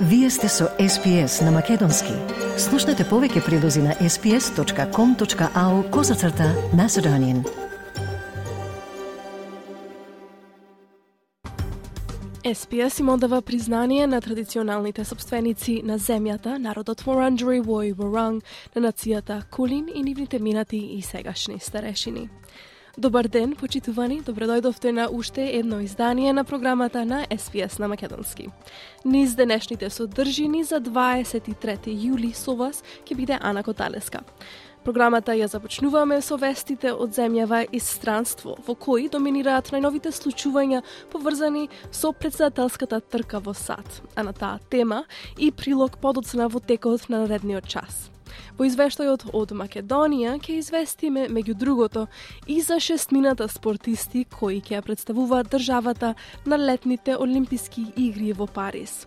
Вие сте со SPS на Македонски. Слушнете повеќе прилози на sps.com.au/Macedonian. SPS им одава признание на традиционалните собственици на земјата, народот Wurundjeri Woi Wurrung, на нацијата Кулин и нивните минати и сегашни старешини. Добар ден, почитувани, добредојдовте на уште едно издание на програмата на SPS на Македонски. Низ денешните содржини за 23 јули со вас ќе биде Ана Коталеска. Програмата ја започнуваме со вестите од земјава и странство, во кои доминираат најновите случувања поврзани со претседателската трка во САД, а на таа тема и прилог подоцна во текот на наредниот час. Во извештајот од Македонија ќе известиме, меѓу другото, и за 6 спортисти кои ќе ја представуваат државата на летните Олимписки игри во Париз.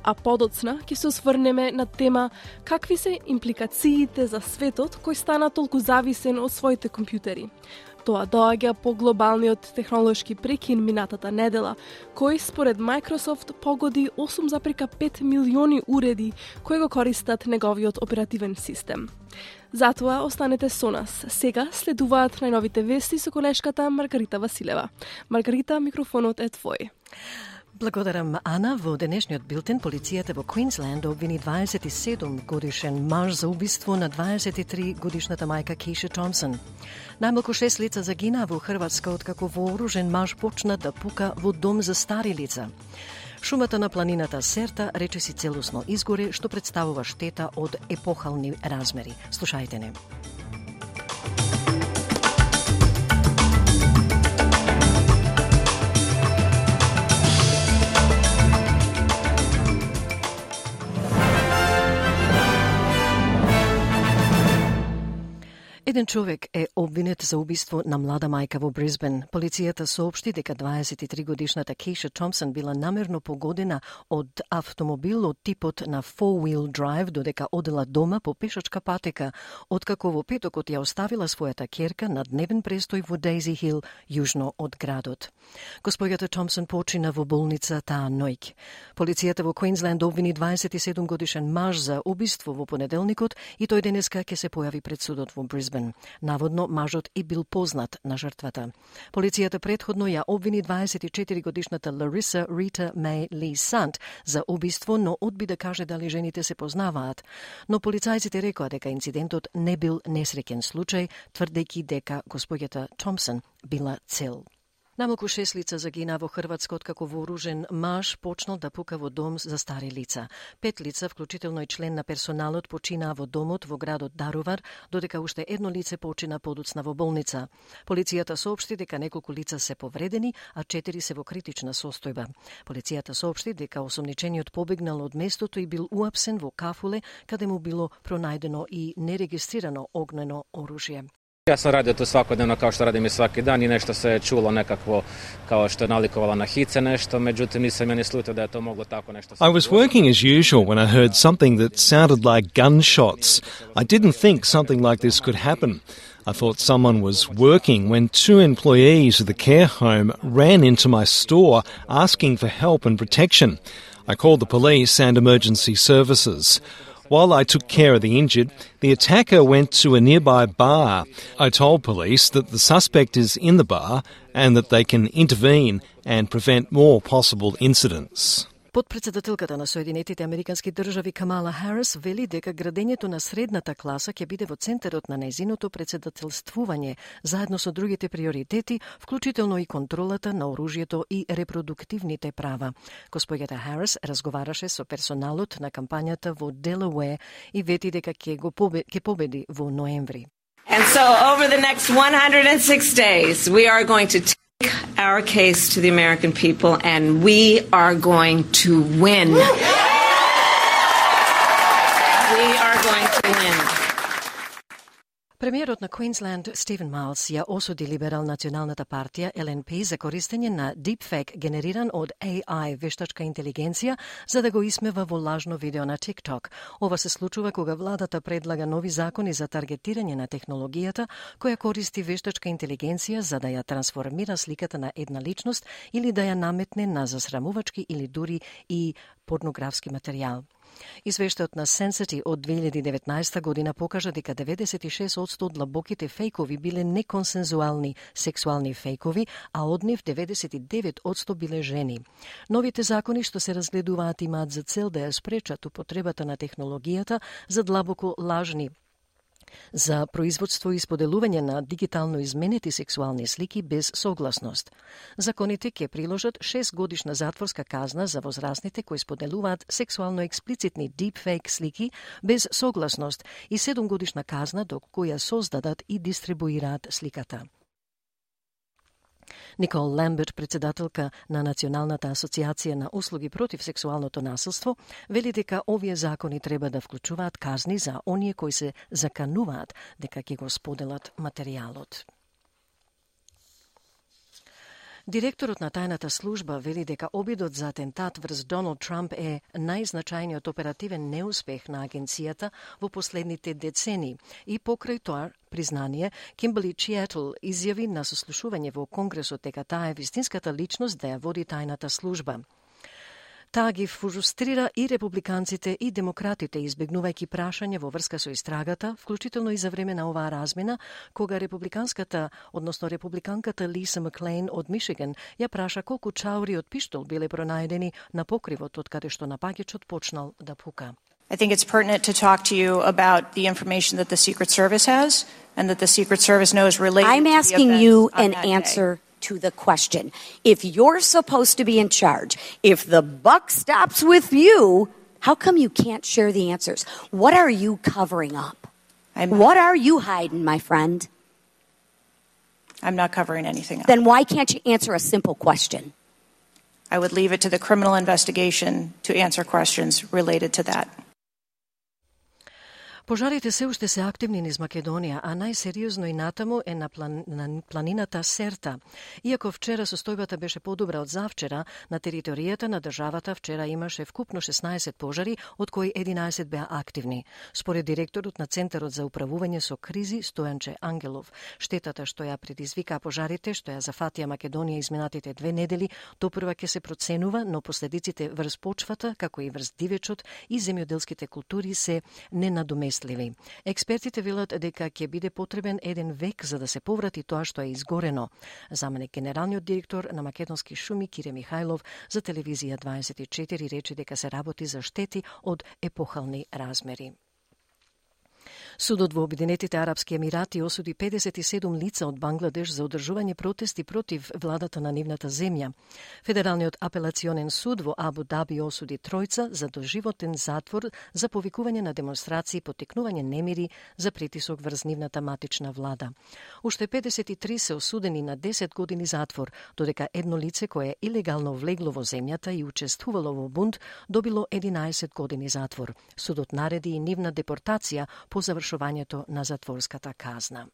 А подоцна ќе се осврнеме на тема какви се импликациите за светот кој стана толку зависен од своите компјутери. Тоа доаѓа по глобалниот технолошки прекин минатата недела, кој според Microsoft погоди 8,5 милиони уреди кои го користат неговиот оперативен систем. Затоа останете со нас. Сега следуваат најновите вести со колешката Маргарита Василева. Маргарита, микрофонот е твој. Благодарам, Ана. Во денешниот билтен, полицијата во Квинсленд обвини 27-годишен маж за убиство на 23-годишната мајка Кейша Томсон. Најмалку 6 лица загинаа во Хрватска откако вооружен маж почна да пука во дом за стари лица. Шумата на планината Серта речиси целосно изгоре, што представува штета од епохални размери. Слушајте не. Еден човек е обвинет за убиство на млада мајка во Брисбен. Полицијата соопшти дека 23-годишната Кейша Томсон била намерно погодена од автомобил од типот на four-wheel drive додека одела дома по пешачка патека, откако во петокот ја оставила својата ќерка на дневен престој во Дейзи Хил, јужно од градот. Госпоѓата Томсон почина во болница таа ноќ. Полицијата во Квинсленд обвини 27-годишен маж за убиство во понеделникот и тој денеска ќе се појави пред судот во Брисбен. Наводно, мажот и бил познат на жртвата. Полицијата претходно ја обвини 24-годишната Лариса Рита Мей Ли Сант за убиство, но одби да каже дали жените се познаваат. Но полицајците рекоа дека инцидентот не бил несреќен случај, тврдејќи дека госпоѓата Томсон била цел. Намалку 6 лица загинаа во Хрватска откако вооружен маж почнал да пука во дом за стари лица. 5 лица, вклучително и член на персоналот, починаа во домот во градот Дарувар, додека уште едно лице почина подоцна во болница. Полицијата соопшти дека неколку лица се повредени, а 4 се во критична состојба. Полицијата соопшти дека осомничениот побегнал од местото и бил уапсен во кафуле, каде му било пронајдено и нерегистрирано огнено оружје. Ja sam radio to svakodnevno kao što radim i svaki dan i nešto se je čulo nekakvo kao što je nalikovalo na hice nešto, međutim nisam ja ni slutio da je to moglo tako nešto. I was working as usual when I heard something that sounded like gunshots. I didn't think something like this could happen. I thought someone was working when 2 employees of the care home ran into my store asking for help and protection. I called the police and emergency services. While I took care of the injured, the attacker went to a nearby bar. I told police that the suspect is in the bar and that they can intervene and prevent more possible incidents. Подпредседателката на Соединетите Американски држави Камала Харис вели дека градењето на средната класа ќе биде во центарот на нејзиното председателствување, заедно со другите приоритети, вклучително и контролата на оружјето и репродуктивните права. Госпоѓата Харис разговараше со персоналот на кампањата во Делауер и вети дека ќе победи во ноември. And so over the next 106 days, we are going to take our case to the American people, and we are going to win. We are going to win. Премиерот на Квинсленд Стивен Майлс ја осуди либерал националната партија ЛНП за користење на deepfake генериран од AI вештачка интелигенција за да го исмева во лажно видео на TikTok. Ова се случува кога владата предлага нови закони за таргетирање на технологијата која користи вештачка интелигенција за да ја трансформира сликата на една личност или да ја наметне на засрамувачки или дури и порнографски материјал. Извештајот на Sensity од 2019 година покажа дека 96% од длабоките фейкови биле неконсензуални сексуални фейкови, а од нив 99% биле жени. Новите закони што се разгледуваат имаат за цел да ја спречат употребата на технологијата за длабоко лажни за производство и споделување на дигитално изменети сексуални слики без согласност. Законите ќе приложат 6 годишна затворска казна за возрастните кои споделуваат сексуално експлицитни deepfake слики без согласност и 7 годишна казна доколку ја создадат и дистрибуираат сликата. Никол Ламберт, председателка на Националната асоциација на услуги против сексуалното насилство, вели дека овие закони треба да вклучуваат казни за оние кои се закануваат дека ќе го споделат материјалот. Директорот на тајната служба вели дека обидот за атентат врз Доналд Трамп е најзначајниот оперативен неуспех на агенцијата во последните децени и покрај тоа признание, Кимберли Чиетл изјави на сослушување во Конгресот дека таа е вистинската личност да ја води тајната служба. Таа ги фрустрира и републиканците и демократите, избегнувајќи прашање во врска со истрагата, вклучително и за време на оваа размена, кога републиканката Лиса Маклейн од Мишиган ја праша колку чаури од пиштол биле пронајдени на покривот од каде што напаѓачот почнал да пука. I think it's pertinent to talk to you about the information that the Secret Service has and that the Secret Service knows related I'm to the asking events you on an that answer day. to the question. If you're supposed to be in charge, if the buck stops with you, how come you can't share the answers? What are you covering up? What are you hiding, my friend? I'm not covering anything up. Then why can't you answer a simple question? I would leave it to the criminal investigation to answer questions related to that. Пожарите се уште се активни низ Македонија, а најсериозно и натаму е на планината Серта. Иако вчера состојбата беше подобра од завчера, на територијата на државата вчера имаше вкупно 16 пожари, од кои 11 беа активни. Според директорот на Центарот за управување со кризи Стојанче Ангелов, штетата што ја предизвикаа пожарите, што ја зафатија Македонија изминатите 2 недели, допрва ќе се проценува, но последиците врз почвата, како и врз дивечот и земјоделските култури се ненадоместливи. Експертите велат дека ќе биде потребен 1 век за да се поврати тоа што е изгорено. Заменик генералниот директор на Македонски шуми Кире Михајлов за телевизија 24 рече дека се работи за штети од епохални размери. Судот во Обединетите Арапски Емирати осуди 57 лица од Бангладеш за одржување протести против владата на нивната земја. Федералниот апелационен суд во Абу Даби осуди тројца за доживотен затвор за повикување на демонстрации и поттикнување немири за притисок врз нивната матична влада. Уште 53 се осудени на 10 години затвор, додека едно лице кое е илегално влегло во земјата и учествувало во бунт добило 11 години затвор. Судот нареди и нивна депортација по завршувањето на затворската казна.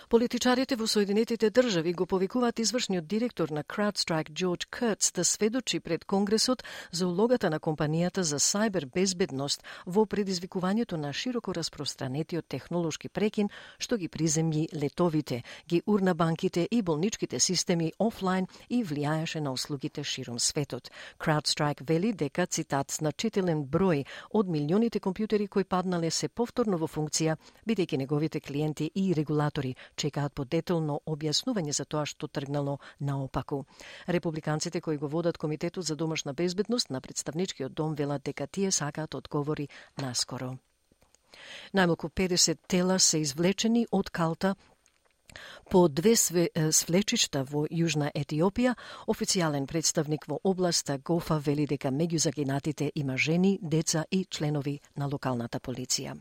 Политичарите во Соединетите држави го повикуваат извршниот директор на CrowdStrike Джордж Куртс да сведочи пред Конгресот за улогата на компанијата за сајбер безбедност во предизвикувањето на широко распространетиот технолошки прекин што ги приземји летовите, ги урна банките и болничките системи офлайн и влијаеше на услугите широм светот. CrowdStrike вели дека, цитат, значителен број од милионите компјутери кои паднале се повторно во функција, бидејќи неговите клиенти и регулатори чекаат по детално објаснување за тоа што тргнало наопаку. Републиканците кои го водат Комитетот за домашна безбедност на представничкиот дом велат дека тие сакаат одговори наскоро. Најмалку 50 тела се извлечени од калта по 2 свлечишта во Јужна Етиопија. Официјален представник во областа Гофа вели дека меѓу загинатите има жени, деца и членови на локалната полиција.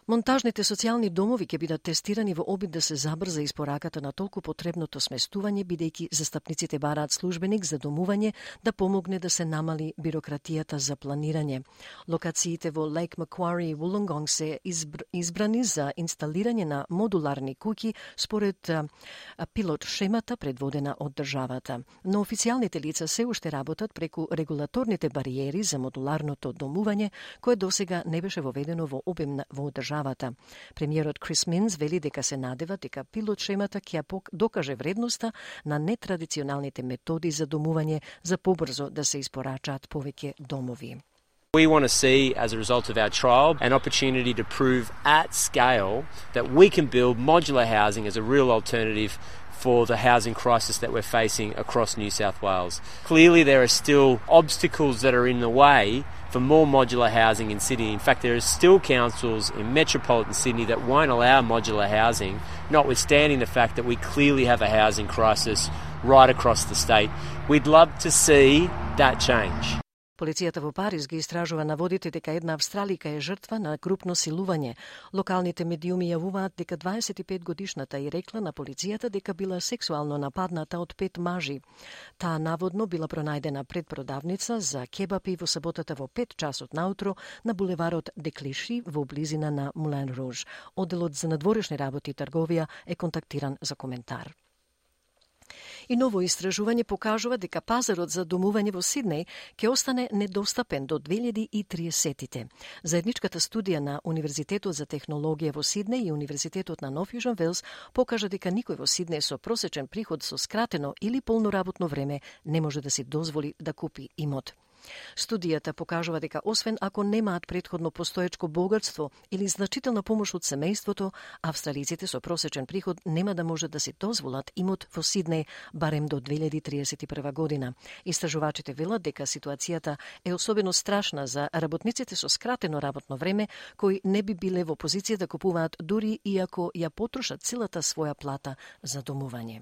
Монтажните социјални домови ќе бидат тестирани во обид да се забрза испораката на толку потребното сместување, бидејќи застапниците бараат службеник за домување да помогне да се намали бирократијата за планирање. Локациите во Лейк Маквари и Вулонгонг се избрани за инсталирање на модуларни куќи според пилот шемата предводена од државата. Но официјалните лица се уште работат преку регулаторните бариери за модуларното домување, кое досега не беше воведено во обем во државата. Премиерот Крис Минс вели дека се надева дека пилот шемата ќе докаже вредноста на нетрадиционалните методи за домување за побрзо да се испорачаат повеќе домови. We want to see, as a result of our trial, an opportunity to prove at scale that we can build modular housing as a real alternative for the housing crisis that we're facing across New South Wales. Clearly there are still obstacles that are in the way for more modular housing in Sydney. In fact, there are still councils in metropolitan Sydney that won't allow modular housing, notwithstanding the fact that we clearly have a housing crisis right across the state. We'd love to see that change. Полицијата во Париз ги истражува наводите дека една австралика е жртва на групно силување. Локалните медиуми јавуваат дека 25-годишната и рекла на полицијата дека била сексуално нападната од 5 мажи. Таа наводно била пронајдена пред продавница за кебапи во саботата во 5 часот наутро на булеварот Деклиши во близина на Мулен Руж. Одделот за надворешни работи и трговија е контактиран за коментар. И ново истражување покажува дека пазарот за домување во Сиднеј ќе остане недостапен до 2030-тите. Заедничката студија на Универзитетот за технологија во Сиднеј и Универзитетот на Нов Јужен Велс покажа дека никој во Сиднеј со просечен приход со скратено или полно работно време не може да си дозволи да купи имот. Студијата покажува дека освен ако немаат претходно постоечко богатство или значителна помош од семејството, австралиците со просечен приход нема да можат да си дозволат имот во Сиднеј барем до 2031 година. Истражувачите велат дека ситуацијата е особено страшна за работниците со скратено работно време, кои не би биле во позиција да купуваат дури и ако ја потрошат целата своја плата за домување.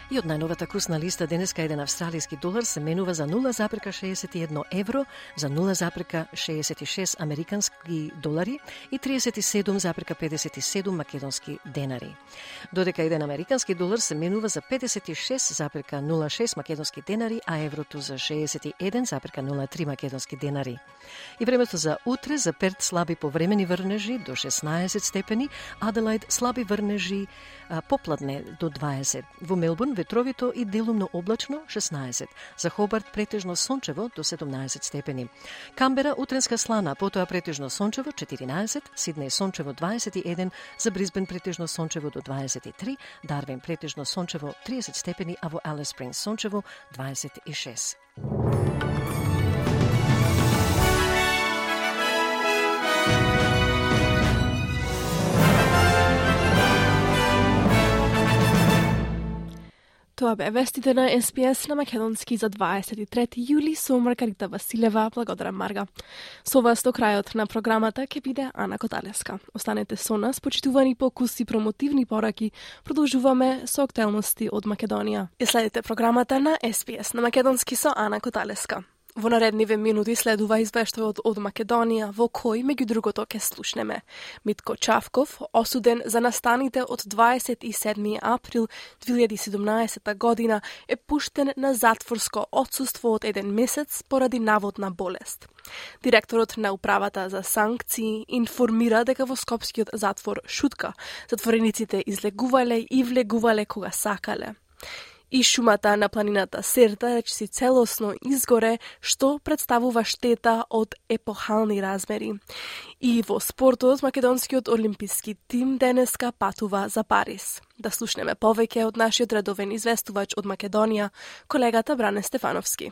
И од најновата курсна листа денеска еден австралиски долар се менува за 0,61 евро, за 0,66 американски долари и 37,57 македонски денари. Додека еден американски долар се менува за 56,06 македонски денари, а еврото за 61,03 македонски денари. И времето за утре, за Перт слаби повремени врнежи до 16 степени, Аделаид слаби врнежи попладне до 20. Во Мелбурн ветровито и делумно облачно 16. За Хобарт претежно сончево до 17 степени. Камбера утренска слана, потоа претежно сончево 14, Сиднеј сончево 21, за Брисбен претежно сончево до 23, Дарвин претежно сончево 30 степени, а во Алис Спрингс сончево 26. Тоа бе вестите на СПС на македонски за 23 јули со Маргарита Василева. Благодарам, Марга. Со вас до крајот на програмата ќе биде Ана Коталеска. Останете со нас, почитувани по куси промотивни пораки. Продолжуваме со актуелности од Македонија. И следите програмата на СПС на македонски со Ана Коталеска. Во наредниве минути следува извештајот од Македонија, во кој, меѓу другото, ке слушнеме. Митко Чавков, осуден за настаните од 27. април 2017 година, е пуштен на затворско отсуство од 1 месец поради наводна болест. Директорот на управата за санкции информира дека во скопскиот затвор Шутка затворениците излегувале и влегувале кога сакале. И шумата на планината Серта речиси целосно изгоре, што представува штета од епохални размери. И во спортот, македонскиот олимписки тим денеска патува за Париз. Да слушнеме повеќе од нашиот редовен известувач од Македонија, колегата Бране Стефановски.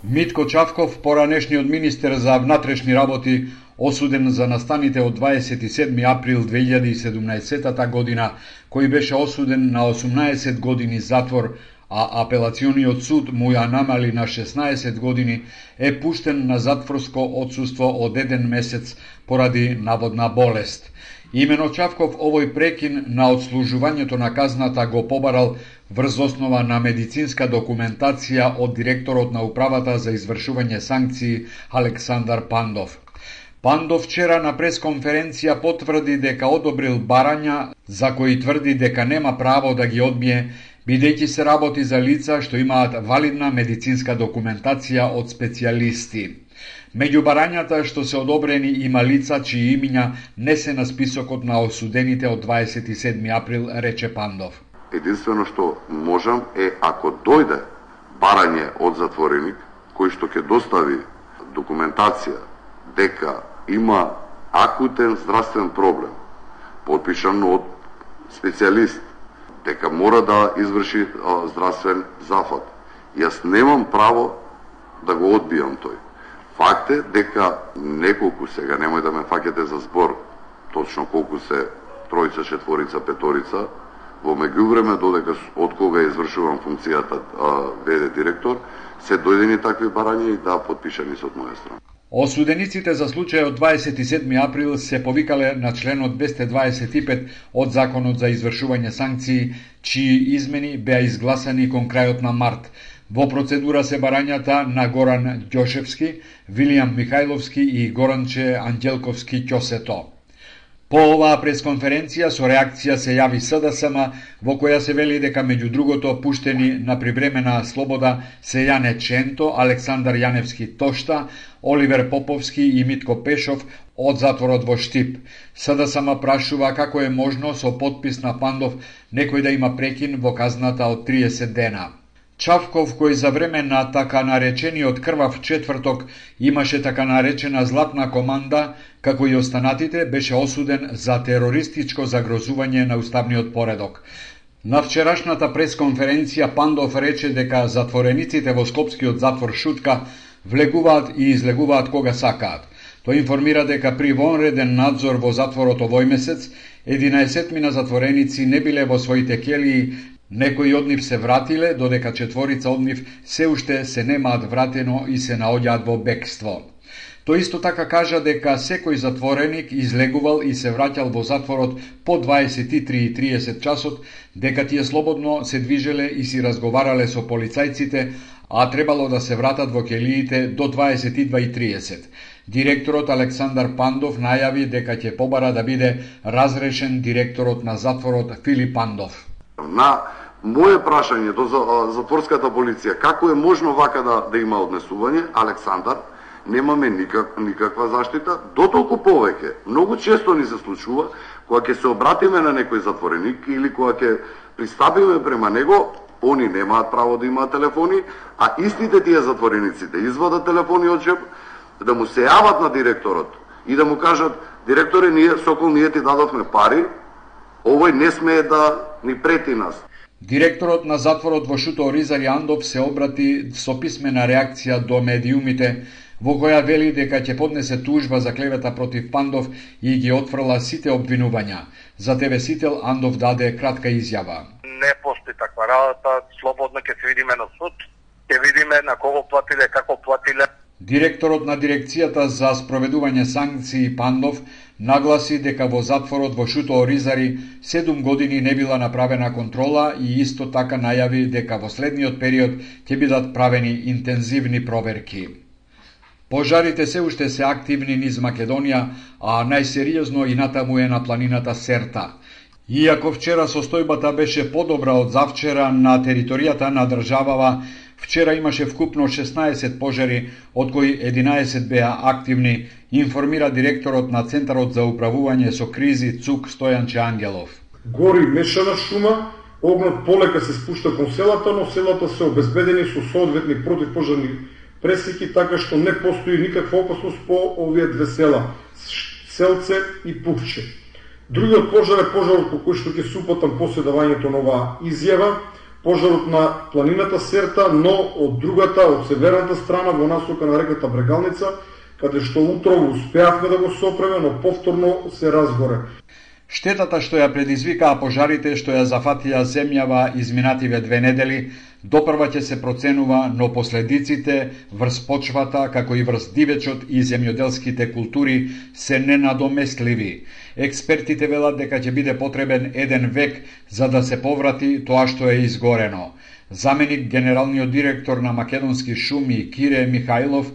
Митко Чавков, поранешниот министер за внатрешни работи, осуден за настаните од 27. април 2017 година, кој беше осуден на 18 години затвор, а апелациониот суд му ја намали на 16 години, е пуштен на затворско отсуство од 1 месец поради наводна болест. Имено Чавков овој прекин на одслужувањето на казната го побарал врз основа на медицинска документација од директорот на Управата за извршување санкции Александар Пандов. Пандов вчера на пресконференција потврди дека одобрил барања за кои тврди дека нема право да ги одбие, бидејќи се работи за лица што имаат валидна медицинска документација од специјалисти. Меѓу барањата што се одобрени има лица чии имиња не се на списокот на осудените од 27 април, рече Пандов. Единствено што можам е ако дојде барање од затвореник кој што ќе достави документација дека има акутен здравствен проблем, подпишан од специјалист, дека мора да изврши здравствен зафат. Јас немам право да го одбијам тој. Факт е дека неколку, сега немој да ме фаќате за збор, точно колку се тројца, четворица, петорица, во меѓувреме додека од кога извршувам функцијата ВД директор, се дојдени такви барања и да подпишани со од моја страна. Осудениците за случајот 27 април се повикале на членот 225 од Законот за извршување санкции, чии измени беа изгласани кон крајот на март. Во процедура се барањата на Горан Ѓошевски, Вилијам Михајловски и Горанче Анđелковски Ќосето. По оваа пресконференција со реакција се јави СДСМ, во која се вели дека меѓу другото пуштени на привремена слобода се Јане Ченто, Александар Јаневски Тошта, Оливер Поповски и Митко Пешов од затворот во Штип. СДСМ прашува како е можно со подпис на Пандов некој да има прекин во казната од 30 дена. Чавков, кој за време на така наречениот крвав четврток имаше така наречена златна команда, како и останатите, беше осуден за терористичко загрозување на уставниот поредок. На вчерашната пресконференција Пандов рече дека затворениците во Скопскиот затвор Шутка влегуваат и излегуваат кога сакаат. Тој информира дека при вонреден надзор во затворот овој месец, 11 затвореници не биле во своите келии. Некои од нив се вратиле, додека четворица од нив се уште се немаат вратено и се наоѓаат во бегство. Тој исто така кажа дека секој затвореник излегувал и се враќал во затворот по 23:30 часот, дека тие слободно се движеле и си разговарале со полицајците, а требало да се вратат во келиите до 22:30. Директорот Александар Пандов најави дека ќе побара да биде разрешен директорот на затворот Филип Пандов. На моје прашање до затворската полиција, како е можно вака да има однесување, Александар, немаме никаква заштита, дотолку повеќе. Многу често ни се случува, кога ќе се обратиме на некој затвореник или кога ќе пристапиме према него, они немаат право да имаат телефони, а истите тие затвореници да извадат телефони од джеб, да му се јават на директорот и да му кажат: директоре, ние ти дадовме пари, овој не смее да ни прети нас. Директорот на затворот во Шуто Оризари Андов се обрати со писмена реакција до медиумите, во која вели дека ќе поднесе тужба за клевета против Пандов и ги отфрла сите обвинувања. За ТВ Сител Андов даде кратка изјава. Не постои таква работа, слободно ќе се видиме на суд, ќе видиме на кого платиле, како платиле. Директорот на дирекцијата за спроведување санкции Пандов нагласи дека во затворот во Шуто Оризари 7 години не била направена контрола и исто така најави дека во следниот период ќе бидат правени интензивни проверки. Пожарите се уште се активни низ Македонија, а најсериозно и натаму е на планината Серта. Иако вчера состојбата беше подобра од завчера на територијата на државава, вчера имаше вкупно 16 пожари, од кои 11 беа активни, информира директорот на Центарот за управување со кризи ЦУК Стојанче Ангелов. Гори мешана шума, огнот полека се спушта кон селата, но селата се обезбедени со соодветни противпожарни пресеки, така што не постои никаква опасност по овие две села, Селце и Пукче. Другиот пожар е пожарот по кој што ќе се упатам после давањето на оваа изјава, пожарот на планината Серта, но од другата, од северната страна, во насока на реката Брегалница, каде што утрово успеавме да го сопреме, но повторно се разгоре. Штетата што ја предизвикаа пожарите што ја зафатија земјава изминативе 2 недели, Допрва ќе се проценува, но последиците врз почвата, како и врз дивечот и земјоделските култури се ненадоместливи. Експертите велат дека ќе биде потребен 1 век за да се поврати тоа што е изгорено. Заменик генералниот директор на Македонски шуми Кире Михајлов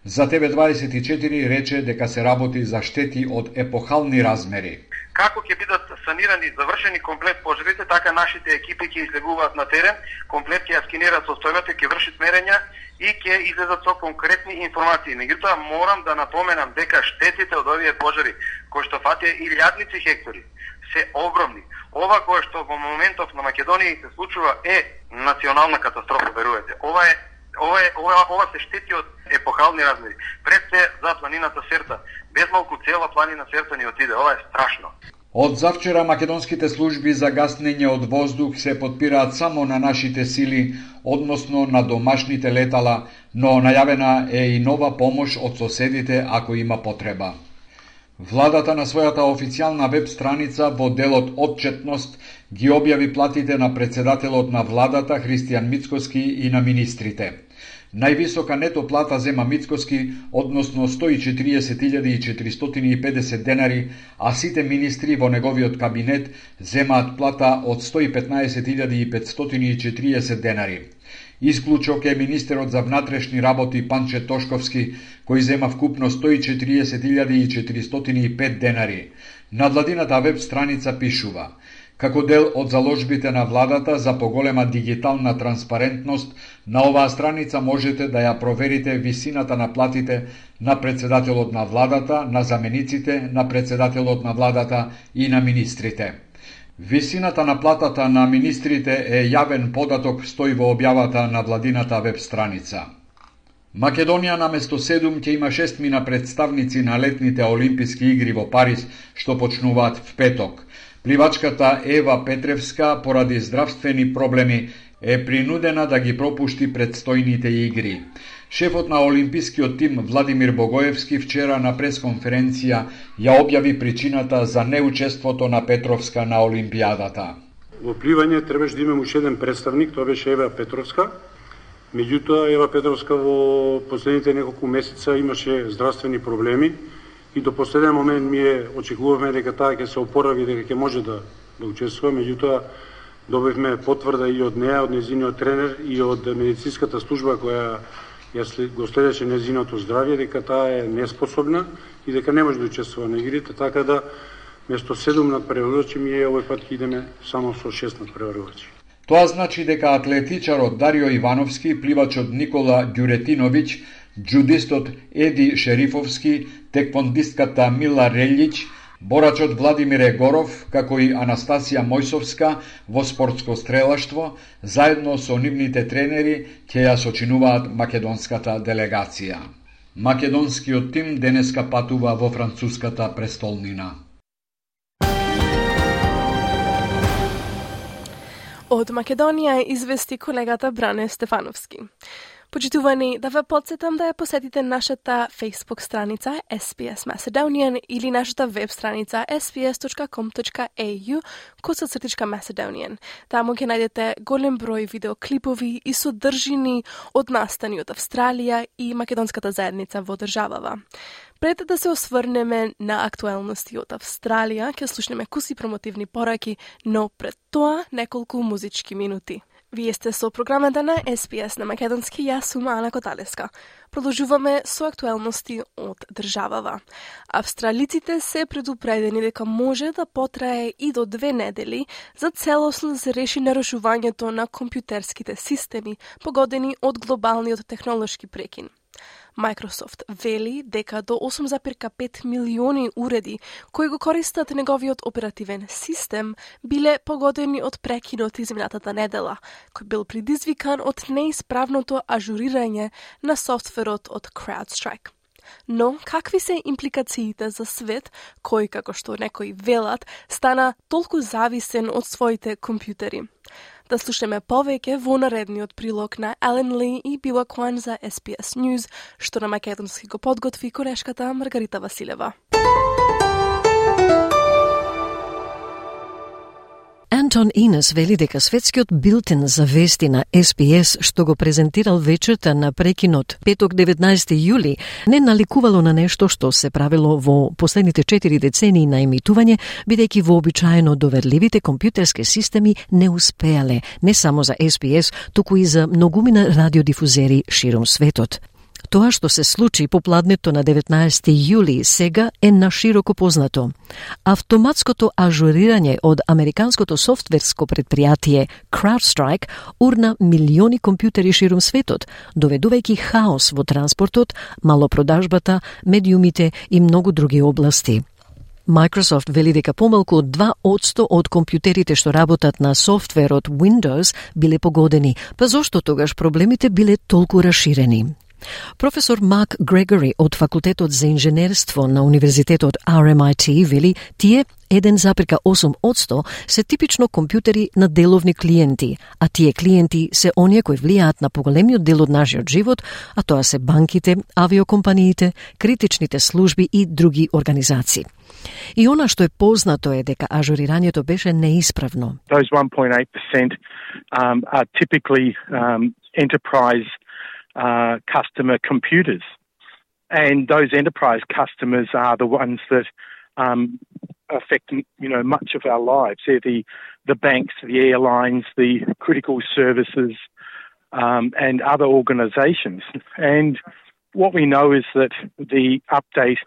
за ТВ24 рече дека се работи за штети од епохални размери. Како ќе бидат санирани и завршени комплет пожарите, така нашите екипи ќе излегуваат на терен, комплет ќе ја скенираат состојбата, ќе вршат мерења и ќе излезат со конкретни информации. Меѓутоа морам да напоменам дека штетите од овие пожари, кои што фатија илјадници хектари, се огромни. Ова кое што во моментов на Македонија се случува е национална катастрофа, верувате. Ова се штети од епохални размери. Пред се за планината Серта. Без малку цела планина Серта ни отиде. Ова е страшно. Од завчера македонските служби за гаснење од воздух се подпираат само на нашите сили, односно на домашните летала, но најавена е и нова помош од соседите ако има потреба. Владата на својата официјална веб страница во делот Отчетност ги објави платите на председателот на владата Христијан Мицкоски и на министрите. Највисока нето плата зема Мицкоски, односно 140.450 денари, а сите министри во неговиот кабинет земаат плата од 115.540 денари. Исклучок е министерот за внатрешни работи Панче Тошковски, кој зема вкупно 140.405 денари. На владината веб страница пишува: како дел од заложбите на владата за поголема дигитална транспарентност, на оваа страница можете да ја проверите висината на платите на председателот на владата, на замениците на председателот на владата и на министрите. Висината на платата на министрите е јавен податок, стои во објавата на владината веб страница. Македонија наместо 7 ќе има 6 мина представници на летните Олимписки игри во Париз, што почнуваат в петок. Пливачката Ева Петревска, поради здравствени проблеми, е принудена да ги пропушти предстојните игри. Шефот на Олимпискиот тим Владимир Богоевски вчера на пресконференција ја објави причината за неучеството на Петровска на Олимпијадата. Во пливање требаше да имаме уште еден представник, тоа беше Ева Петровска. Меѓутоа, Ева Петровска во последните неколку месеца имаше здравствени проблеми и до последен момент ние очекувавме дека таа ќе се опорави, дека ќе може да учествува. Меѓутоа, добивме потврда и од неа, од нејзиниот тренер и од медицинската служба која го следеше нејзиното здравје, дека таа е неспособна и дека не може да учествува на игрите, така да место 7 надпреварувачи ние овој пат идеме само со 6 надпреварувачи. Тоа значи дека атлетичарот Дарио Ивановски, пливачот Никола Ѓуретиновиќ, џудистот Еди Шерифовски, теквондистката Мила Релјич, борачот Владимир Егоров, како и Анастасија Мојсовска во спортско стрелаштво, заедно со нивните тренери ќе ја сочинуваат македонската делегација. Македонскиот тим денеска патува во француската престолнина. Од Македонија извести колегата Бране Стефановски. Почитувани, да ве подсетам да ја посетите нашата Facebook страница SPS Macedonian или нашата веб страница sps.com.au/Macedonian. Таму ќе најдете голем број видеоклипови и содржини од настани од Австралија и македонската заедница во државава. Пред да се осврнеме на актуелности од Австралија, ќе слушнеме куси промотивни пораки, но пред тоа неколку музички минути. Вие сте со програмата на SPS на македонски, јас сум Ана Коталеска. Продолжуваме со актуелности од државава. Австралиците се предупредени дека може да потрае и до 2 недели за целосно да се реши нарушувањето на компјутерските системи, погодени од глобалниот технолошки прекин. Microsoft вели дека до 8,5 милиони уреди кои го користат неговиот оперативен систем биле погодени од прекинот изминатата недела, кој бил предизвикан од неисправното ажурирање на софтверот од CrowdStrike. Но какви се импликациите за свет кој, како што некои велат, стана толку зависен од своите компјутери? Да слушаме повеќе во наредниот прилог на Ален Ли и Била Куан за SPS News, што на македонски го подготви корешката Маргарита And Anton Ines вели дека светскиот билтен за вести на SBS, што го презентирал вечерта на прекинот петок 19 јули, не наликувало на нешто што се правило во последните 4 децении на емитување, бидејќи вообичаено доверливите компјутерски системи не успеале не само за SBS, туку и за многумина радиодифузери широм светот. Тоа што се случи по пладнето на 19 јули сега е нашироко познато. Автоматското ажурирање од американското софтверско предпријатие CrowdStrike урна милиони компјутери широм светот, доведувајќи хаос во транспортот, малопродажбата, медиумите и многу други области. Microsoft вели дека помалку од 2% од компјутерите што работат на софтверот Windows биле погодени, па зошто тогаш проблемите биле толку расширени? Професор Марк Грегори од факултетот за инженерство на универзитетот RMIT вели тие 1,8% се типично компјутери на деловни клиенти, а тие клиенти се оние кои влијаат на поголемиот дел од нашиот живот, а тоа се банките, авиокомпаниите, критичните служби и други организации. И она што е познато е дека ажурирањето беше неисправно. Those 1.8% are typically enterprise customer computers. And those enterprise customers are the ones that affect, much of our lives. They're the banks, the airlines, the critical services, and other organizations. And what we know is that the update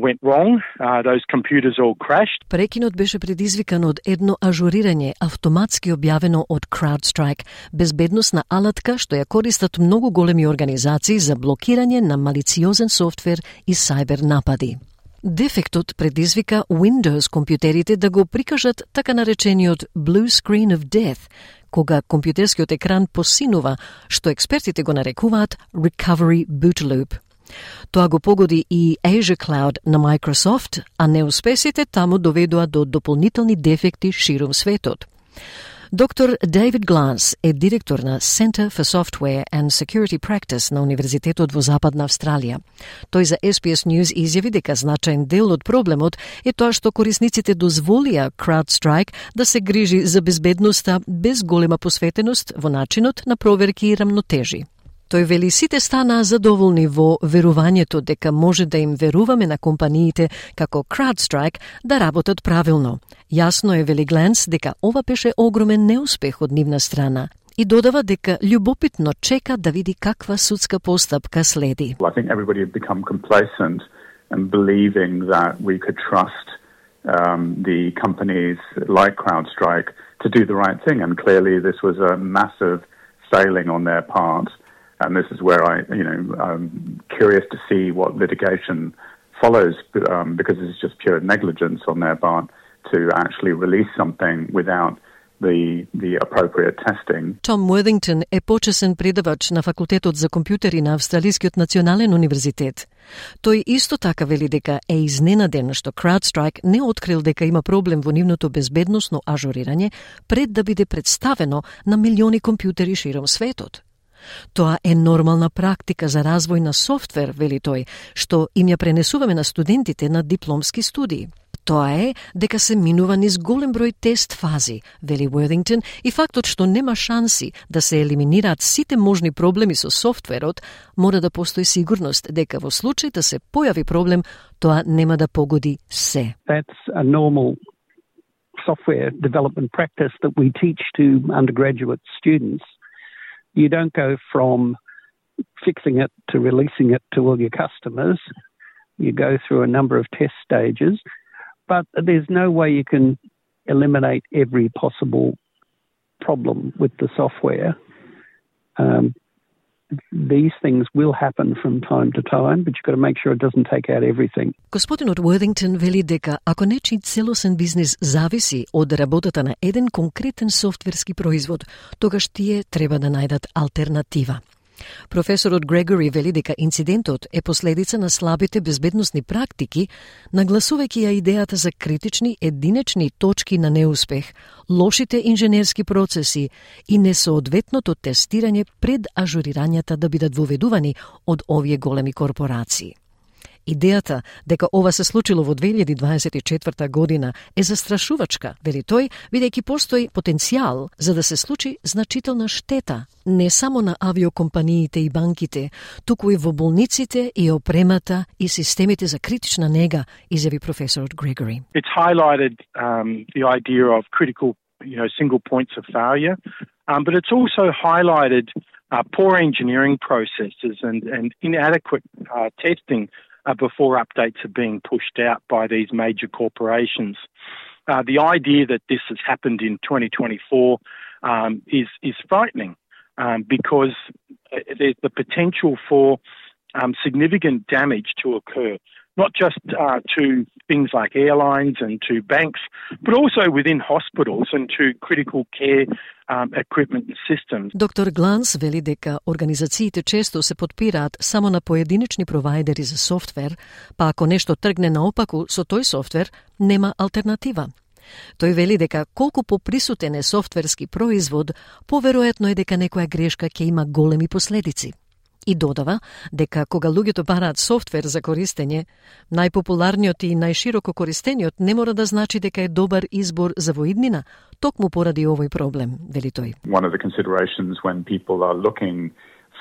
went wrong. Those computers all crashed. Прекинот беше предизвикан од едно ажурирање автоматски објавено од CrowdStrike, безбедносна алатка што ја користат многу големи организации за блокирање на малициозен софтвер и сајбер напади. Дефектот предизвика Windows компјутерите да го прикажат така наречениот Blue Screen of Death, кога компјутерскиот екран посинува, што експертите го нарекуваат Recovery Boot Loop. Тоа го погоди и Azure Cloud на Microsoft, а неуспесите таму доведоа до дополнителни дефекти широм светот. Доктор Дейвид Гланс е директор на Center for Software and Security Practice на Универзитетот во Западна Австралија. Тој за SBS News изјави дека значаен дел од проблемот е тоа што корисниците дозволија CrowdStrike да се грижи за безбедноста без голема посветеност во начинот на проверки и рамнотежи. Тој вели сите станаа задоволни во верувањето дека може да им веруваме на компаниите како CrowdStrike да работат правилно. Јасно е, вели Гленс, дека ова беше огромен неуспех од нивна страна и додава дека љубопитно чека да види каква судска постапка следи. I think everybody had become complacent and believing that we could trust the companies like CrowdStrike to do the right thing, and clearly this was a massive failing on their part. And this is where I'm curious to see what litigation follows, because it's just pure negligence on their part to actually release something without the appropriate testing. Tom Worthington е почесен предавач на факултетот за компјутери на Австралискиот национален универзитет. Тој исто така вели дека е изненаден што CrowdStrike не открил дека има проблем во нивното безбедносно ажурирање пред да биде представено на милиони компјутери широм светот. Тоа е нормална практика за развој на софтвер, вели тој, што им ја пренесуваме на студентите на дипломски студии. Тоа е дека се минува низ голем број тест фази, вели Worthington, и фактот што нема шанси да се елиминираат сите можни проблеми со софтверот, мора да постои сигурност дека во случај да се појави проблем, тоа нема да погоди се. That's a normal software development practice that we teach to undergraduate students. You don't go from fixing it to releasing it to all your customers. You go through a number of test stages, but there's no way you can eliminate every possible problem with the software. These things will happen from time to time, but you've got to make sure it doesn't take out everything. Господинот Worthington вели дека ако нечи целосен бизнис зависи од работата на еден конкретен софтверски производ, тогаш тие треба да најдат алтернатива. Професорот Грегори вели дека инцидентот е последица на слабите безбедносни практики, нагласувајќи ја идејата за критични единечни точки на неуспех, лошите инженерски процеси и несоодветното тестирање пред ажурирањата да бидат воведувани од овие големи корпорации. Идејата дека ова се случило во 2024 година е застрашувачка, вели тој, бидејќи постои потенцијал за да се случи значителна штета, не само на авиокомпаниите и банките, туку и во болниците и опремата и системите за критична нега, изјави професорот Gregory. It's highlighted the idea of critical, single points of failure, but it's also highlighted poor engineering processes and inadequate testing before updates are being pushed out by these major corporations. The idea that this has happened in 2024 is frightening because there's the potential for significant damage to occur, not just to things like airlines and to banks, but also within hospitals and to critical care equipment and systems. Доктор Гланс вели дека организациите често се подпираат само на поединечни провайдери за софтвер, па ако нешто тргне наопаку со тој софтвер, нема алтернатива. Тој вели дека колку поприсутен е софтверски производ, поверојатно е дека некоја грешка ќе има големи последици. И додава дека кога луѓето бараат софтвер за користење, најпопуларниот и најшироко користениот не мора да значи дека е добар избор за воиднина, токму поради овој проблем, вели тој. One of the considerations when people are looking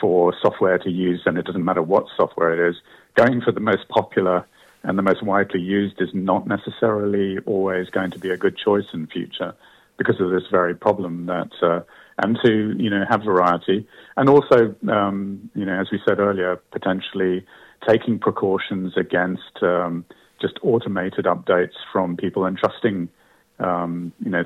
for software to use, and it doesn't matter what software it is, going for the most popular and the most widely used is not necessarily always going to be a good choice in future because of this very problem that and to, have variety. And also, as we said earlier, potentially taking precautions against just automated updates from people and trusting,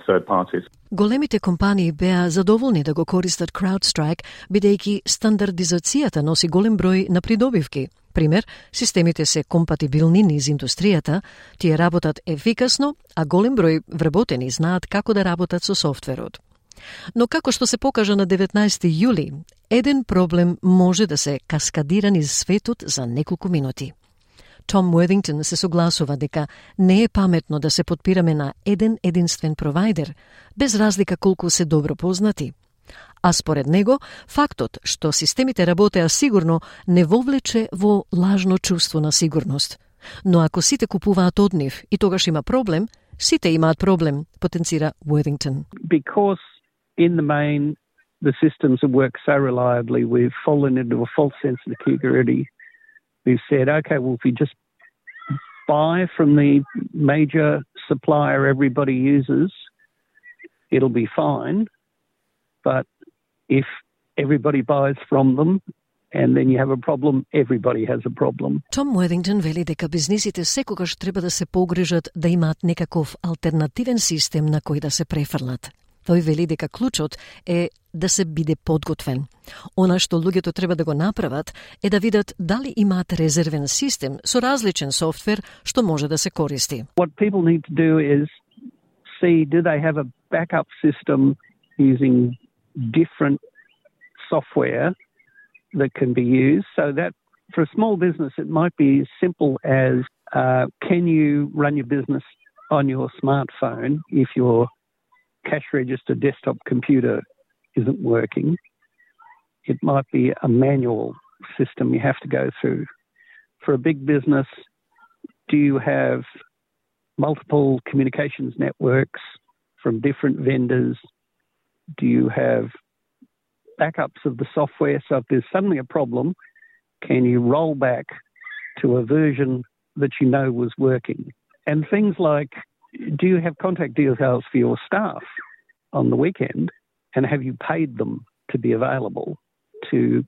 third parties. Големите компании беа задоволни да го користат CrowdStrike, бидејќи стандардизацијата носи голем број на придобивки. Пример, системите се компатибилни низ индустријата, тие работат ефикасно, а голем број вработени знаат како да работат со софтверот. Но како што се покажа на 19 јули, еден проблем може да се каскадира низ светот за неколку минути. Том Worthington се согласува дека не е паметно да се подпираме на еден единствен провайдер, без разлика колку се добро познати. А според него, фактот што системите работеа сигурно не вовлече во лажно чувство на сигурност. Но ако сите купуваат од нив и тогаш има проблем, сите имаат проблем, потенцира Worthington. Because in the main, the systems have worked so reliably, we've fallen into a false sense of security. We've said, okay, well, if you just buy from the major supplier everybody uses, it'll be fine. But if everybody buys from them, and then you have a problem, everybody has a problem. Том Worthington вели дека бизнисите секогаш треба да се погрижат да имаат некаков алтернативен систем на кој да се префрлат. Тој вели дека клучот е да се биде подготвен. Она што луѓето треба да го направат е да видат дали имаат резервен систем со различен софтвер што може да се користи. What people need to do is see, do they have a backup system using different software that can be used, so that for a small business it might be as simple as can you run your business on your smartphone if your cash register desktop computer isn't working. It might be a manual system you have to go through. For a big business, do you have multiple communications networks from different vendors? Do you have backups of the software? So if there's suddenly a problem, can you roll back to a version that you know was working? And things like, do you have contact details for your staff on the weekend, and have you paid them to be available to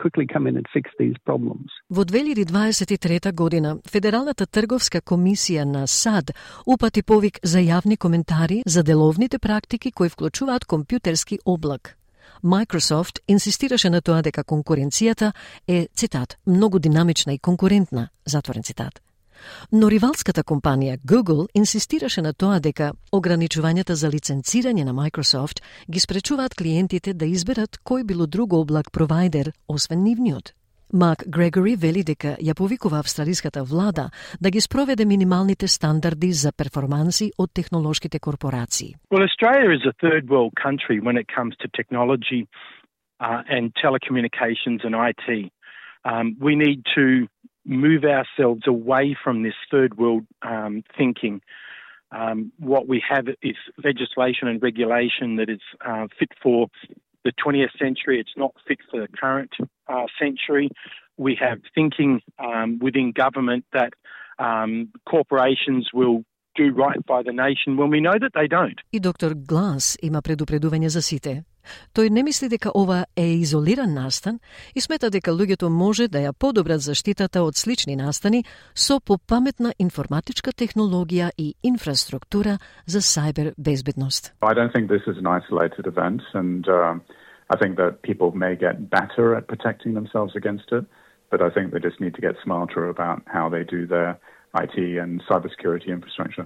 quickly come in and fix these problems? Во 2023 година, Федералната трговска комисија на САД упати повик за јавни коментари за деловните практики кои вклучуваат компјутерски облак. Microsoft инсистираше на тоа дека конкуренцијата е, цитат, многу динамична и конкурентна, затворен цитат. Но ривалската компанија Google инсистираше на тоа дека ограничувањата за лиценцирање на Microsoft ги спречуваат клиентите да изберат кој било друго облак провайдер, освен нивниот. Марк Грегори вели дека ја повикува австралиската влада да ги спроведе минималните стандарди за перформанси од технолошките корпорации. Well, Australia is a third world country when it comes to technology and telecommunications and IT. We need to move ourselves away from this third world thinking. What we have is legislation and regulation that is fit for the 20th century. It's not fit for the current century. We have thinking within government that corporations will do right by the nation when we know that they don't. И доктор Глас има предупредување за сите. Тој не мисли дека ова е изолиран настан и смета дека луѓето може да ја подобрат заштитата од слични настани со попаметна информатичка технологија и инфраструктура за сайбер безбедност. I don't think this is an isolated event, and I think that people may get better at protecting themselves against it, but I think they just need to get smarter about how they do their IT and cybersecurity infrastructure.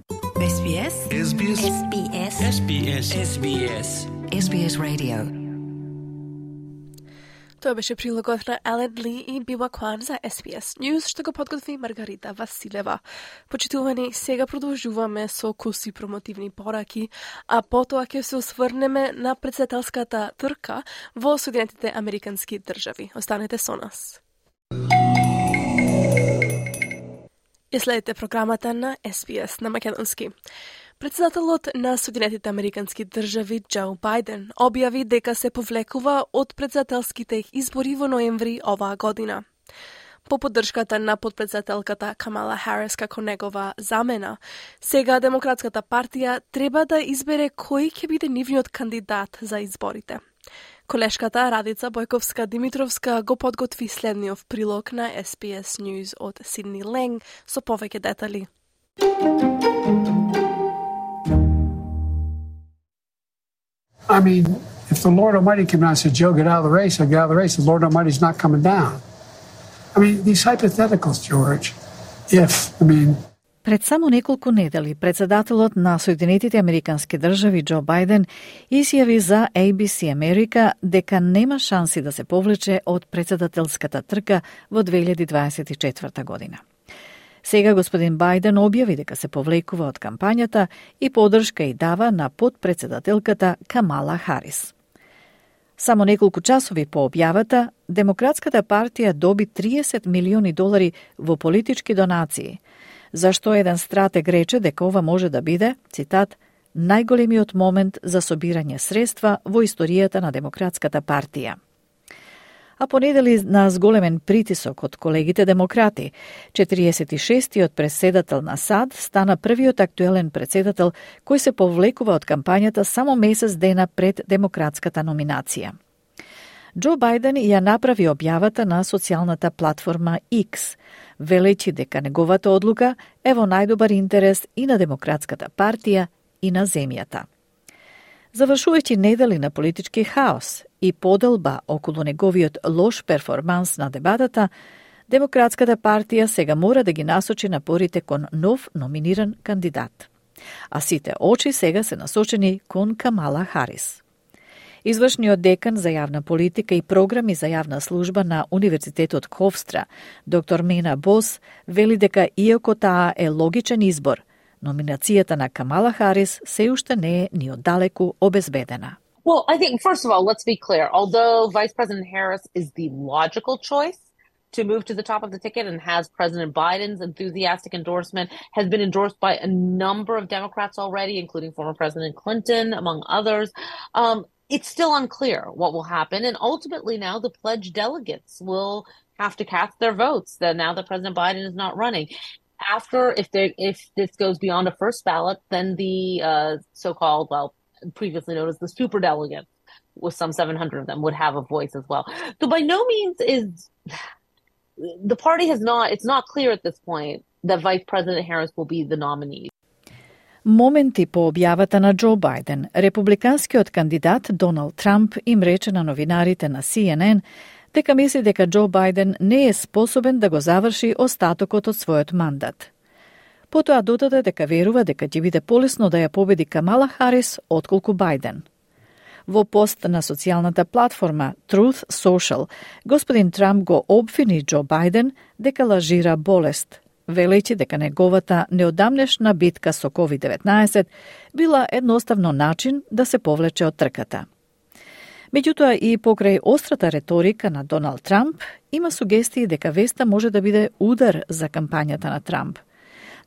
SBS SBS SBS SBS SBS SBS Radio. Тоа беше прилогот на Елен Ли и Бива Кван за SBS News, што го подготви Маргарита Василева. Почитувани, сега продолжуваме со куси промотивни пораки, а потоа ќе се осврнеме на председателската трка во Соединетите Американски држави. Останете со нас. Ја следите програмата на SBS на македонски. Председателот на Соединетите Американски држави Џо Бајден објави дека се повлекува од председателските избори во ноември оваа година. По поддршката на подпредседателката Камала Харис како негова замена, сега Демократската партија треба да избере кој ќе биде нивниот кандидат за изборите. Колешката Радица Бојковска-Димитровска го подготви следниот прилог на SBS News од Сидни Ленг со повеќе детали. I mean, if the Lord Almighty came down and said, Joe, get out of the race, I'll get out of the race. The Lord Almighty's not coming down. I mean, these hypotheticals, George, Пред само неколку недели, председателот на Соединетите Американски држави Џо Бајден изјави за ABC Америка дека нема шанси да се повлече од председателската трка во 2024 година. Сега господин Бајден објави дека се повлекува од кампањата и поддршка и дава на подпредседателката Камала Харис. Само неколку часови по објавата, Демократската партија доби $30 милиони во политички донации, зашто еден стратег рече дека ова може да биде, цитат, најголемиот момент за собирање средства во историјата на Демократската партија. А понедели на зголемен притисок од колегите демократи, 46-тиот председател на САД стана првиот актуелен председател кој се повлекува од кампањата само месец дена пред демократската номинација. Џо Бајден ја направи објавата на социјалната платформа X, велејќи дека неговата одлука е во најдобар интерес и на Демократската партија и на земјата. Завршувајќи недели на политички хаос и поделба околу неговиот лош перформанс на дебатата, Демократската партија сега мора да ги насочи напорите кон нов номиниран кандидат. А сите очи сега се насочени кон Камала Харис. Извршниот декан за јавна политика и програми за јавна служба на Универзитетот Ховстра, доктор Мена Бос, вели дека иако таа е логичен избор, номинацијата на Камала Харис се уште не е ни оддалеку обезбедена. Well, I think, first of all, let's be clear. Although Vice President Harris is the logical choice to move to the top of the ticket and has President Biden's enthusiastic endorsement, has been endorsed by a number of Democrats already, including former President Clinton, among others, it's still unclear what will happen. And ultimately now the pledged delegates will have to cast their votes now that President Biden is not running. After, if this goes beyond a first ballot, then the so-called, previously known as the superdelegates, with some 700 of them, would have a voice as well. So by no means is the party it's not clear at this point that Vice President Harris will be the nominee. Моменти по објавата на Џо Бајден, републиканскиот кандидат Доналд Трамп им рече на новинарите на CNN дека мисли дека Џо Бајден не е способен да го заврши остатокот од својот мандат. Потоа додаде дека верува дека ќе биде полесно да ја победи Камала Харис отколку Бајден. Во пост на социјалната платформа Truth Social, господин Трамп го обвини Џо Бајден дека лажира болест, велејќи дека неговата неодамнешна битка со COVID-19 била едноставно начин да се повлече од трката. Меѓутоа и покрај острата реторика на Доналд Трамп, има сугестии дека веста може да биде удар за кампањата на Трамп.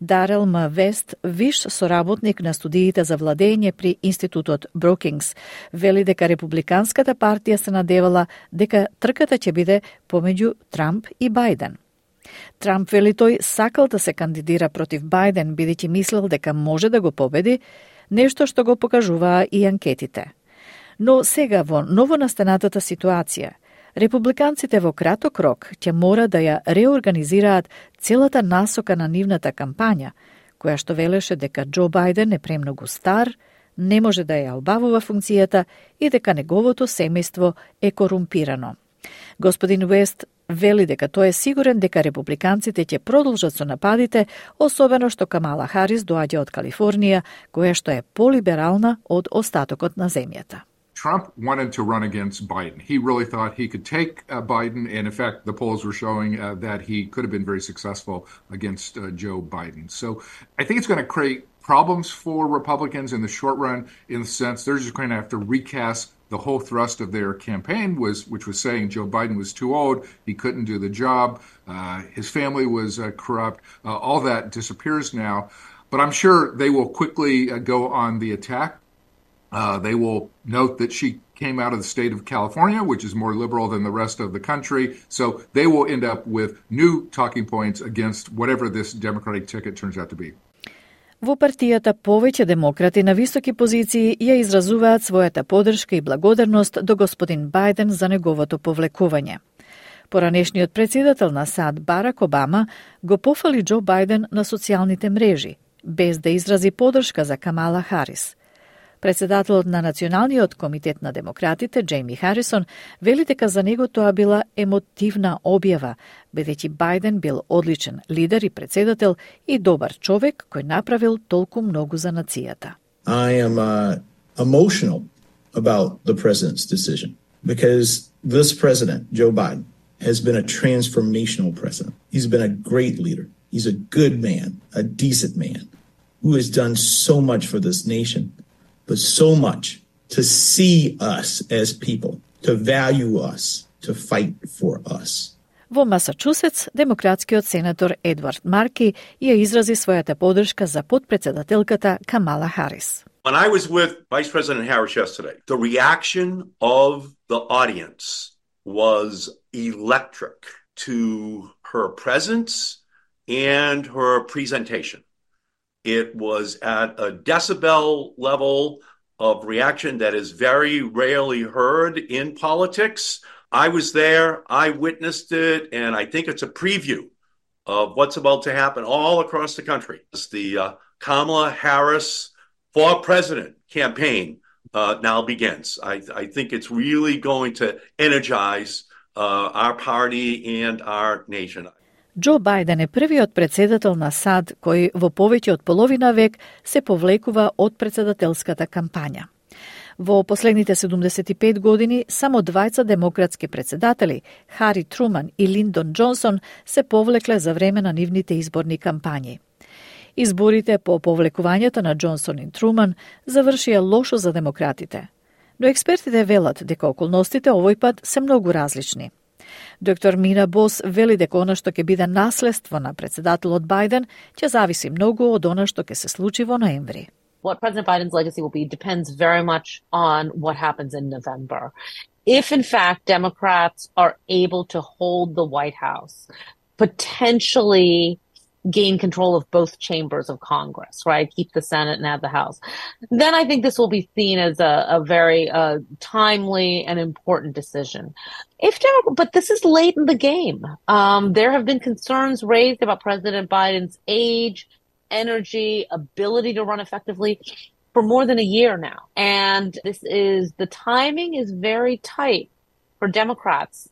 Дарел М. Вест, виш соработник на студиите за владење при Институтот Brookings, вели дека Републиканската партија се надевала дека трката ќе биде помеѓу Трамп и Бајден. Трамп вели тој сакал да се кандидира против Бајден, бидејќи мислел дека може да го победи, нешто што го покажуваа и анкетите. Но сега во новонастанатата ситуација, републиканците во краток рок ќе мора да ја реорганизираат целата насока на нивната кампања, која што велеше дека Џо Бајден е премногу стар, не може да ја обавува функцијата и дека неговото семејство е корумпирано. Господин Уест вели дека тој е сигурен дека републиканците ќе продолжат со нападите, особено што Камала Харис доаѓа од Калифорнија, која што е полиберална од остатокот на земјата. Trump wanted to run against Biden. He really thought he could take Biden, and in fact, the polls were showing that he could have been very successful against Joe Biden. So I think it's going to create problems for Republicans in the short run, in the sense they're just going to have to recast the whole thrust of their campaign, which was saying Joe Biden was too old, he couldn't do the job, his family was corrupt. All that disappears now. But I'm sure they will quickly go on the attack. They will note that she came out of the state of California, which is more liberal than the rest of the country. So they will end up with new talking points against whatever this Democratic ticket turns out to be. Во партијата повеќе демократи на високи позиции ја изразуваат својата поддршка и благодарност до господин Бајден за неговото повлекување. Поранешниот председател на САД Барак Обама го пофали Џо Бајден на социјалните мрежи, без да изрази поддршка за Камала Харис. Председателот на Националниот комитет на демократите, Џейми Харисон, вели дека за него тоа била емотивна објава, бидејќи Бајден бил одличен лидер и председател и добар човек кој направил толку многу за нацијата. I am emotional about the president's decision because this president, Joe Biden, has been a transformational president. He's been a great leader. He's a good man, a decent man who has done so much for this nation. But so much to see us as people, to value us, to fight for us. Во Масачусетс, демократскиот сенатор Едвард Марки ја изрази својата поддршка за подпредседателката Камала Харис. When I was with Vice President Harris yesterday, the reaction of the audience was electric to her presence and her presentation. It was at a decibel level of reaction that is very rarely heard in politics. I was there, I witnessed it, and I think it's a preview of what's about to happen all across the country. It's the Kamala Harris for President campaign now begins. I think it's really going to energize our party and our nation. Џо Бајден е првиот председател на САД кој во повеќе од половина век се повлекува од председателската кампања. Во последните 75 години само двајца демократски председатели, Хари Труман и Линдон Џонсон, се повлекле за време на нивните изборни кампањи. Изборите по повлекувањето на Џонсон и Труман завршија лошо за демократите, но експертите велат дека околностите овој пат се многу различни. Доктор Мина Бос вели дека она што ќе биде наследство на председателот Бајден ќе зависи многу од она што ќе се случи во ноември. What President Biden's legacy will be depends very much on what happens in November. If, in fact, Democrats are able to hold the White House, potentially gain control of both chambers of Congress, right? Keep the Senate and have the House. Then I think this will be seen as a very timely and important decision. But this is late in the game. There have been concerns raised about President Biden's age, energy, ability to run effectively for more than a year now. And the timing is very tight for Democrats.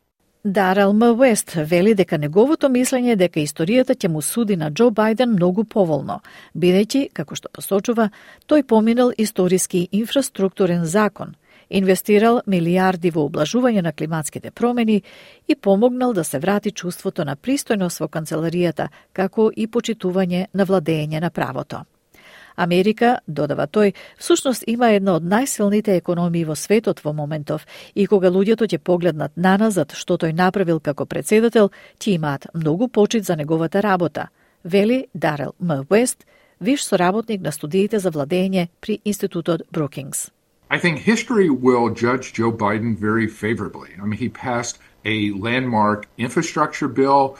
Дарел М. Уест вели дека неговото мислење дека историјата ќе му суди на Џо Бајден многу поволно, бидејќи, како што посочува, тој поминал историски инфраструктурен закон, инвестирал милиарди во ублажување на климатските промени и помогнал да се врати чувството на пристојност во канцеларијата, како и почитување на владење на правото. Америка, додава тој, всушност има една од најсилните економии во светот во моментов и кога луѓето ќе погледнат наназад што тој направил како председател, ќе имаат многу почит за неговата работа, вели Дарел М. Уест, виш соработник на студиите за владење при Институтот Brookings. I think history will judge Joe Biden very favorably. I mean, he passed a landmark infrastructure bill,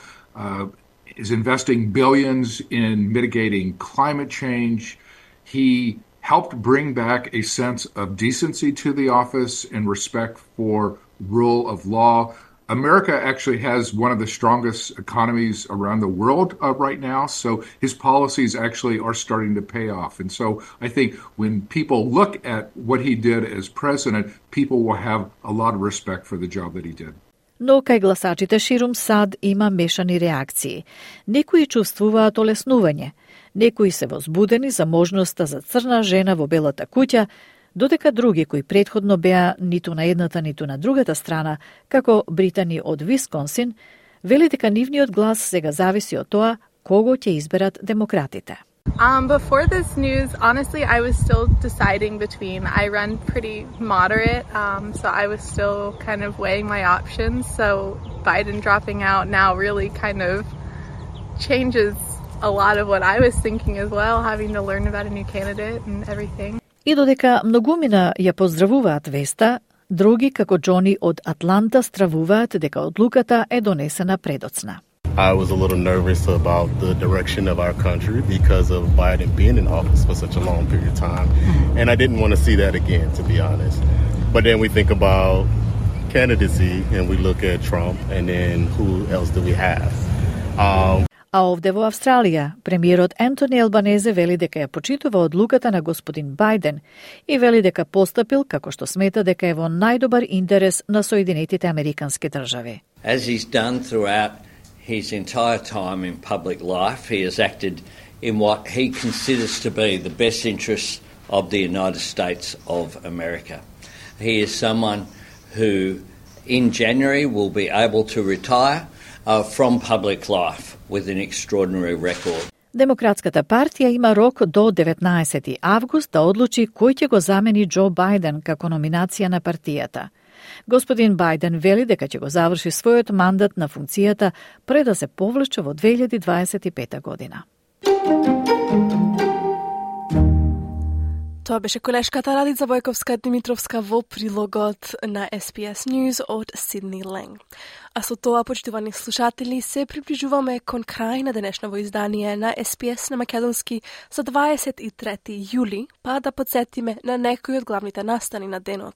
is investing billions in mitigating climate change. He helped bring back a sense of decency to the office and respect for rule of law. America actually has one of the strongest economies around the world right now, so his policies actually are starting to pay off. And so I think when people look at what he did as president, people will have a lot of respect for the job that he did. Но кај гласачите ширум САД има мешани реакции. Некои чувствуваат олеснување, некои се возбудени за можноста за црна жена во Белата куќа, додека други кои претходно беа ниту на едната, ниту на другата страна, како Британи од Висконсин, вели дека нивниот глас сега зависи од тоа кого ќе изберат демократите. Before this news, honestly, I was still deciding between. I run pretty moderate, so I was still kind of weighing my options. So Biden dropping out now really kind of changes a lot of what I was thinking as well, having to learn about a new candidate and everything. И додека многумина ја поздравуваат веста, други, како Џони од Атланта, стравуваат дека одлуката е донесена предоцна. I was a little nervous about the direction of our country because of Biden being in office for such a long period of time. And I didn't want to see that again, to be honest. But then we think about candidacy and we look at Trump and then who else do we have? А овде во Австралија, премиерот Ентони Албанезе вели дека ја почитува одлуката на господин Бајден и вели дека постапил како што смета дека е во најдобар интерес на Соединетите Американски држави. As he's done throughout his entire time in public life, he has acted in what he considers to be the best interests of the United States of America. He is someone who, in January, will be able to retire from public life with an extraordinary record. Демократската партија има рок до 19 август да одлучи кој ќе го замени Џо Бајден како номинација на партијата. Господин Бајден вели дека ќе го заврши својот мандат на функцијата пред да се повлече во 2025 година. Тоа беше колешката Радица Војковска-Димитровска во прилогот на SBS News од Сидни Ленг. А со тоа, почитувани слушатели, се приближуваме кон крај на денешново издание на SBS на македонски за 23 јули, па да подсетиме на некои од главните настани на денот.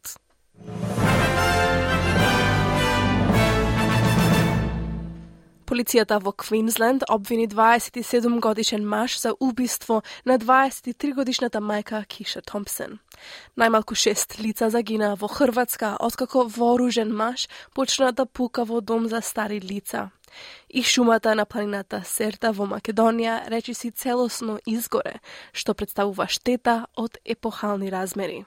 Полицијата во Квинсленд обвини 27-годишен маж за убиство на 23-годишната мајка Киша Томпсон. Најмалку 6 лица загина во Хрватска откако вооружен маж почна да пука во дом за стари лица. И шумата на планината Серта во Македонија речиси целосно изгоре, што представува штета од епохални размери.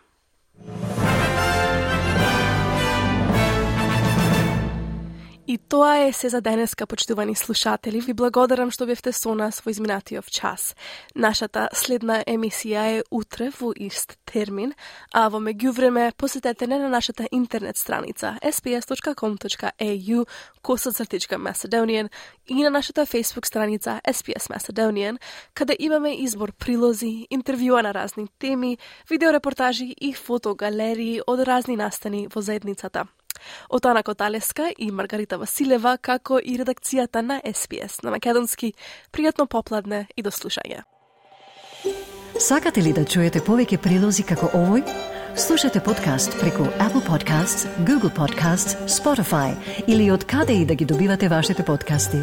И тоа е се за денеска, почитувани слушатели. Ви благодарам што бевте со нас во изминатиот час. Нашата следна емисија е утре во ист термин, а во меѓувреме посетете не на нашата интернет страница sbs.com.au/Macedonian и на нашата Facebook страница SBS Macedonian, каде имаме избор прилози, интервјуа на разни теми, видеорепортажи и фотогалерии од разни настани во заедницата. Од Ана Коталеска и Маргарита Василева, како и редакцијата на SBS на македонски, пријатно попладне и до слушање. Сакате ли да чуете повеќе прилози како овој? Слушате подкаст преку Apple Podcasts, Google Podcasts, Spotify или од каде и да ги добивате вашите подкасти.